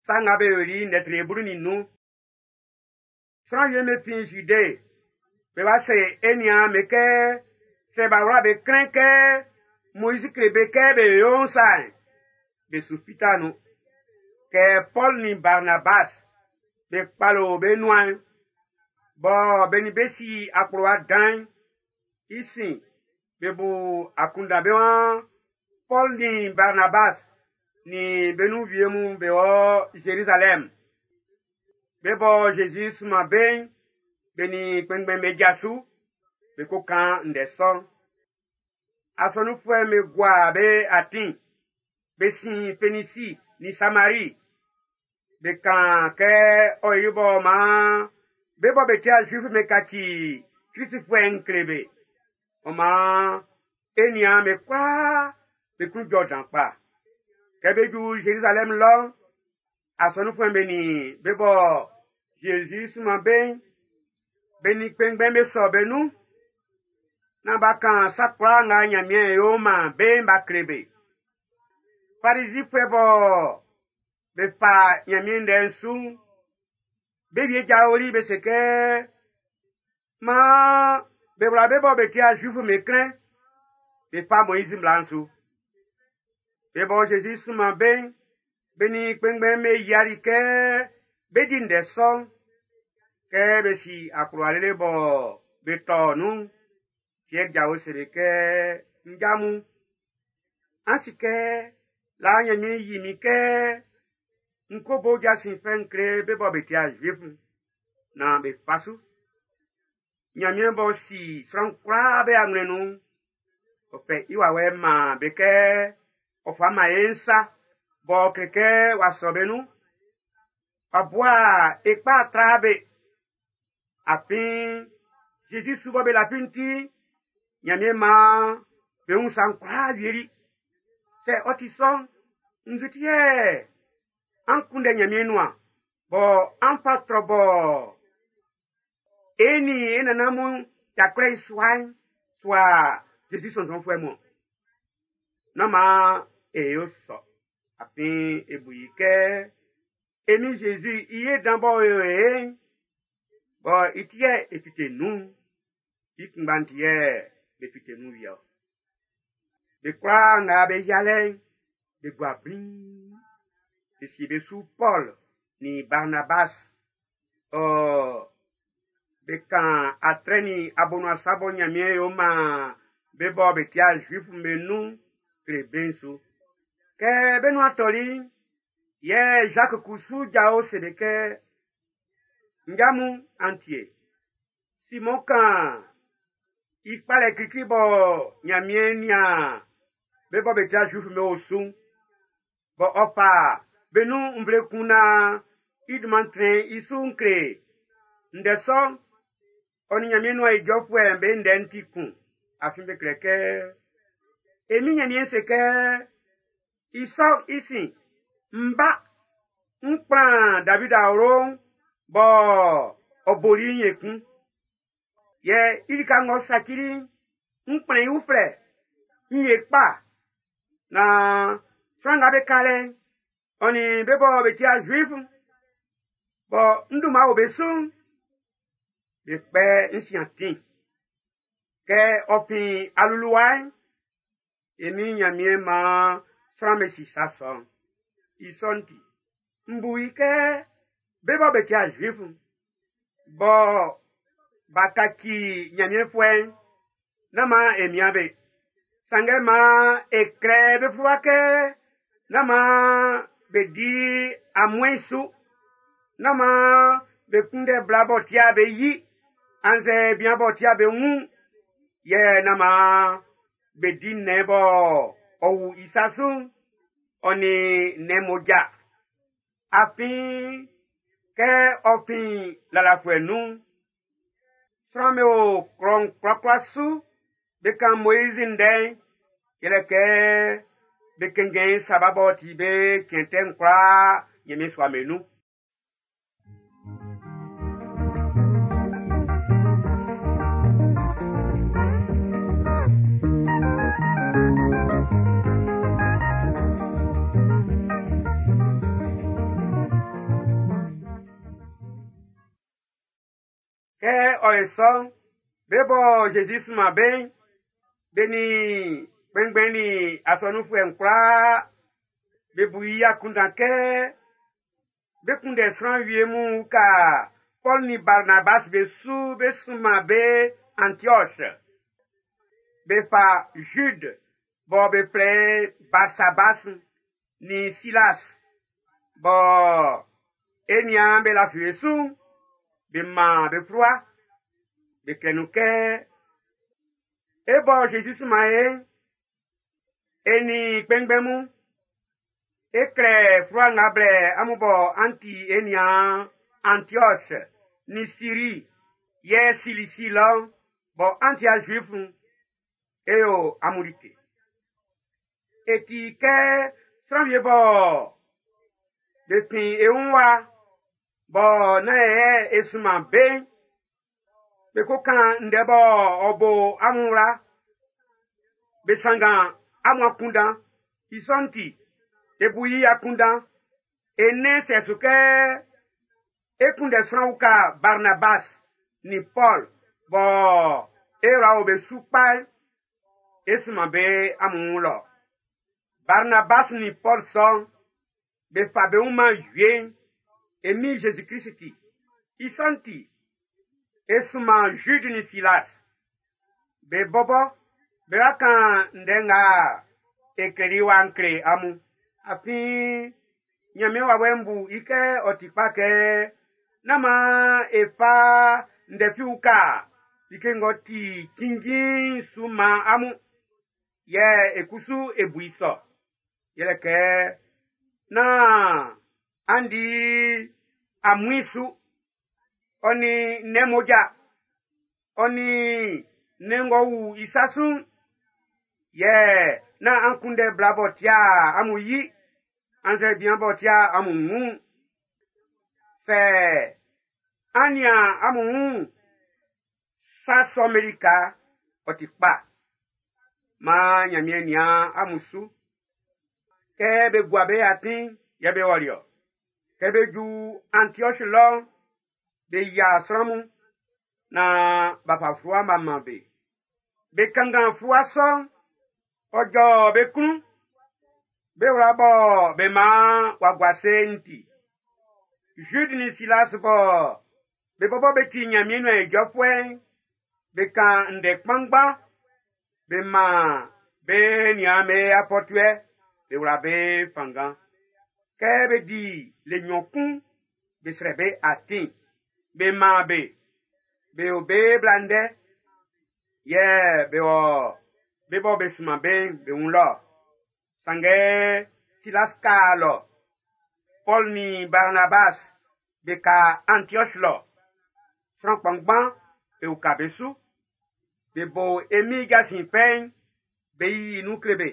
Sa Nga Be Yoli'n ndɛ tre 15. Sran wie'm be fin Zide, be wa se e niaan'm be kɛ sɛ b'a wla be klɛn kɛ Moizi kle be kɛ be yo'n sa'n, be su fita nun. Kɛ Pɔlu nin Barnabas be kpalo be nuan'n, bɔ be nin be si akplowa dan'n, i sin be bu akunndan be waan Pɔlu nin Barnabas nin be nun wie mun be wɔ Zerizalɛm. Be bɔ Zezi sunman be'n, be nin kpɛnngbɛn'm be ja su, be ko kan ndɛ sɔ'n. Asɔnunfuɛ'm be gua be atin, be sin Fenisi nin Samari. Be kan kɛ ɔ yo bɔ maan be bɔ be ti'a Zuif'm be kaci Kristfuɛ'n kle be. Ɔ maan e niaan'm be kwlaa be klun jɔ dan kpa. Kɛ be ju Zerizalɛm lɔ'n, asɔnunfuɛ'm be nin be bɔ Zezi sunman be'n, be nin kpɛnngbɛn'm be sɔ be nun, naan b'a kan sa kwlaa nga Ɲanmiɛn yo man be'n b'a kle be. Farizifuɛ bɔ be fa Ɲanmiɛn ndɛ'n su'n, be wie jaoli be se kɛ, maan be wla be bɔ be ti'a Zuif'm be klɛn, be fa Moizi mmla'n su. Be bɔ Zezi sunman be'n, be nin kpɛnngbɛn'm be yiali kɛ be di ndɛ sɔ'n. Kɛ be si akplowa lele bɔ be tɔ nun'n, Piɛr jao se be kɛ, Nja mun, an si kɛ laa Nyanmiɛn yi min kɛ n ko bo jasin fɛ'n kle be bɔ be ti'a Zuif'n, naan be fa su. Nyanmiɛn b'ɔ si sran kwlaa be anwlɛn nun'n, ɔ fɛ i wawɛ'n man be kɛ ɔ fa man e'n sa, b'ɔ kle kɛ w'a sɔ be nun. W'a bua e kpa tra be. Afin Zezi su bɔ be lafi'n ti, Nyanmiɛn maan be wun sa'n kwlaa wieli. Sɛ ɔ ti sɔ'n, nzu ti yɛ an kunndɛ Nyanmiɛn nuan, bɔ an fa trɔ bɔ e nin e nannan mun y'a kwlɛ i sua'n, sua Zezi sɔnnzɔnfuɛ mun. Nán maan e yo sɔ, afin e bu i kɛ e Min Zezi i ye dan b'ɔ yo e'n, bɔ i ti yɛ e fite nun'n, i kunngba'n ti yɛ be fite nun wie-ɔ. Be kwlaa nga be yialɛ'n, be gua bliin. Be sie be su Pɔl nin Barnabas. Ɔ be kan atrɛ nin abonuan sa bɔ Nyanmiɛn yo man be bɔ be ti'a Zuif'm be nun kle be'n su. Kɛ be nuan tɔli'n, yɛ Jacques kusu jao se be kɛ, Nja mun, an tie. Simɔn kan i kpalɛ klikli bɔ Nyanmiɛn nian be bɔ be ti'a Zuif'm be osu'n, bɔ ɔ fa be nun nvle kun naan i dunman trɛn i su'n kle. Ndɛ sɔ'n, ɔ nin Nyanmiɛn nuan ijɔfuɛ'm be ndɛ'n ti kun, afin be klɛ kɛ, E Min Nyanmiɛn se kɛ, i sɔ'n i sin, m ba, n kplan David awlo'n bɔ ɔ boli'n ekun. Yɛ i lika ng'ɔ sacili'n, n kplɛn i uflɛ, n ye kpa, naan sran nga be ka lɛ'n, ɔ nin be bɔ be ti'a Zuif'n, bɔ n dunman o be su'n, be kpɛ n sin atin. Kɛ ɔ fin aluluwa'n, e Min Nyanmiɛn maan sran be si sa sɔ'n. I sɔ'n ti, m bu i kɛ be bɔ be ti'a Zuif'n, bɔ b'a kaci Nyanmiɛnfuɛ'n, nán maan e mian be. Sanngɛ maan e klɛ be fluwa kɛ nán maan be di amuɛn su, nán maan be kunndɛ bla b'ɔ tia be yi, annzɛ bian b'ɔ tia be wun, yɛ nán maan be di nnɛn bɔ ɔ wu i sa su'n, ɔ nin nnɛn mmoja. Afin kɛ ɔ fin lalafuɛ nun'n, sran'm be o klɔ'n kwlakwla su be kan Moizi ndɛ'n, yɛlɛ kɛ be kɛnngɛn i Saba b'ɔ ti be cɛn tɛ'n kwlaa Nyanmiɛn sua'm be nun. Kɛ ɔ ye sɔ, be bɔ Zezi sunman be'n, be nin kpɛnngbɛn nin asɔnunfuɛ'n kwlaa be bu i akunndan kɛ be kunndɛ sran wie mun uka Paul nin Barnabas be su be sunman be Antioche. Be fa Jude bɔ be flɛ Barsabas nin Silas bɔ e niaan be lafi be su'n, be man be fluwa, be klɛ nun kɛ e bɔ Zezi sunman e'n, e nin kpɛnngbɛn mun, e klɛ fluwa nga blɛ amun bɔ an ti e niaan Antioche nin Syrie yɛ Cilicie lɔ bɔ an ti a Zuif'n, e yo amun like. E ti kɛ sran wie bɔ be fin e wun wa bɔ nán yɛ e sunman be'n, be ko kan ndɛ bɔ ɔ bo amun wla, be sanngan amun akunndan. I sɔ'n ti, e bu i akunndan, e nɛn sɛ su kɛ e kunndɛ sran uka Barnabas nin Paul bɔ e wla o be su kpa'n, e sunman be amun wun lɔ. Barnabas nin Paul sɔ'n, be fa be wun man wie'n, e min Jésus Christ ti. I sɔ'n ti, e sunman Jude nin Silas. Be bɔbɔ, be wa kan ndɛ nga e kleli wa'n kle amun. Afin, Ɲanmiɛn wawɛ'n bu i kɛ ɔ ti kpa kɛ nán maan e fa ndɛ fi uka like ng'ɔ ti cinnjin su man amun. Yɛ e kusu e bu i sɔ. Yɛlɛ kɛ nán an di amuin su, ɔ nin nnɛn mmoja, ɔ nin nnɛn ng'ɔ wu i sa su'n, yɛ nán an kunndɛ bla b'ɔ tia amun yi, annzɛ bian b'ɔ tia amun wun. Sɛ an nian amun wun sa sɔ'm be lika, ɔ ti kpa. Maan Ɲanmiɛn nian amun su. Kɛ be gua be atin, yɛ be wɔli-ɔ. Kɛ be ju Antioche lɔ'n, be yia sran mun na b'a fa fluwa b'a man be. Be kanngan fluwa sɔ'n, ɔ jɔ be klun. Be wla bɔ be man w'a gua ase'n ti. Jude nin Silas bɔ be bɔbɔ be ti Ɲanmiɛn nuan ijɔfuɛ'n, be kan ndɛ kpanngban, be man be nian be afɔtuɛ, be wla be fanngan. Kɛ be di le nnyɔn kun, be srɛ be atin, be man be, be o be bla ndɛ, yɛ be wɔ be bɔ be sunman be'n be wun lɔ. Sanngɛ Silas ka lɔ, Paul nin Barnabas be ka Antioche lɔ. Sran kpanngban be uka be su. Be bo e Min jasin fɛ'n, be yiyi nun kle be.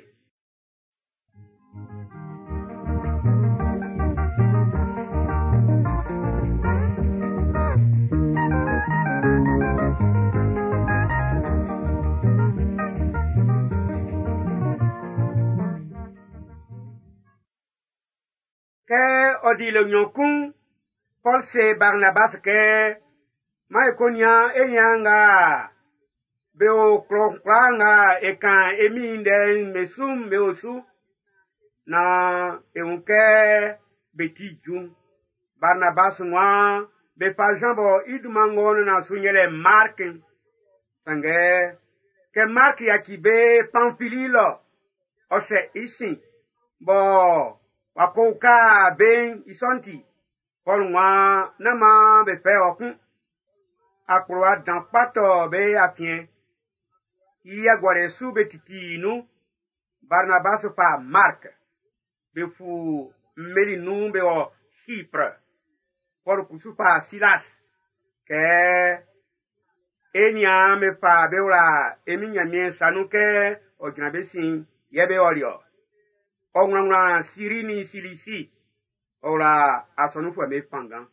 Kɛ ɔ di le nnyɔn kun, Paul se Barnabas kɛ, "Maan e ko nian e niaan nga be o klɔ kwlaa nga e kan e Min ndɛ'n be su'n be osu, naan e wun kɛ be ti ju." Barnabas waan be fa Jean bɔ i dunman ng'ɔ nana su yɛlɛ Mark. Sanngɛ kɛ Mark yaci be Pamfili lɔ, ɔ sɛ i sin bɔ w'a ko uka be'n i sɔ'n ti, Paul waan nán maan be fɛ ɔ kun. Akplowa dan kpa tɔ be afiɛn. I agualɛ su be titi nun. Barnabas fa Mark. Be fu mmeli nun be wɔ Chypre. Paul kusu fa Silas. Kɛ e niaan be fa be wla e Min Ɲanmiɛn sa nun kɛ ɔ jran be sin yɛ be ɔli-ɔ. Ɔ wlanwlan Syrie nin Cilicie. Ɔ wla asɔnunfuɛ'm be fanngan.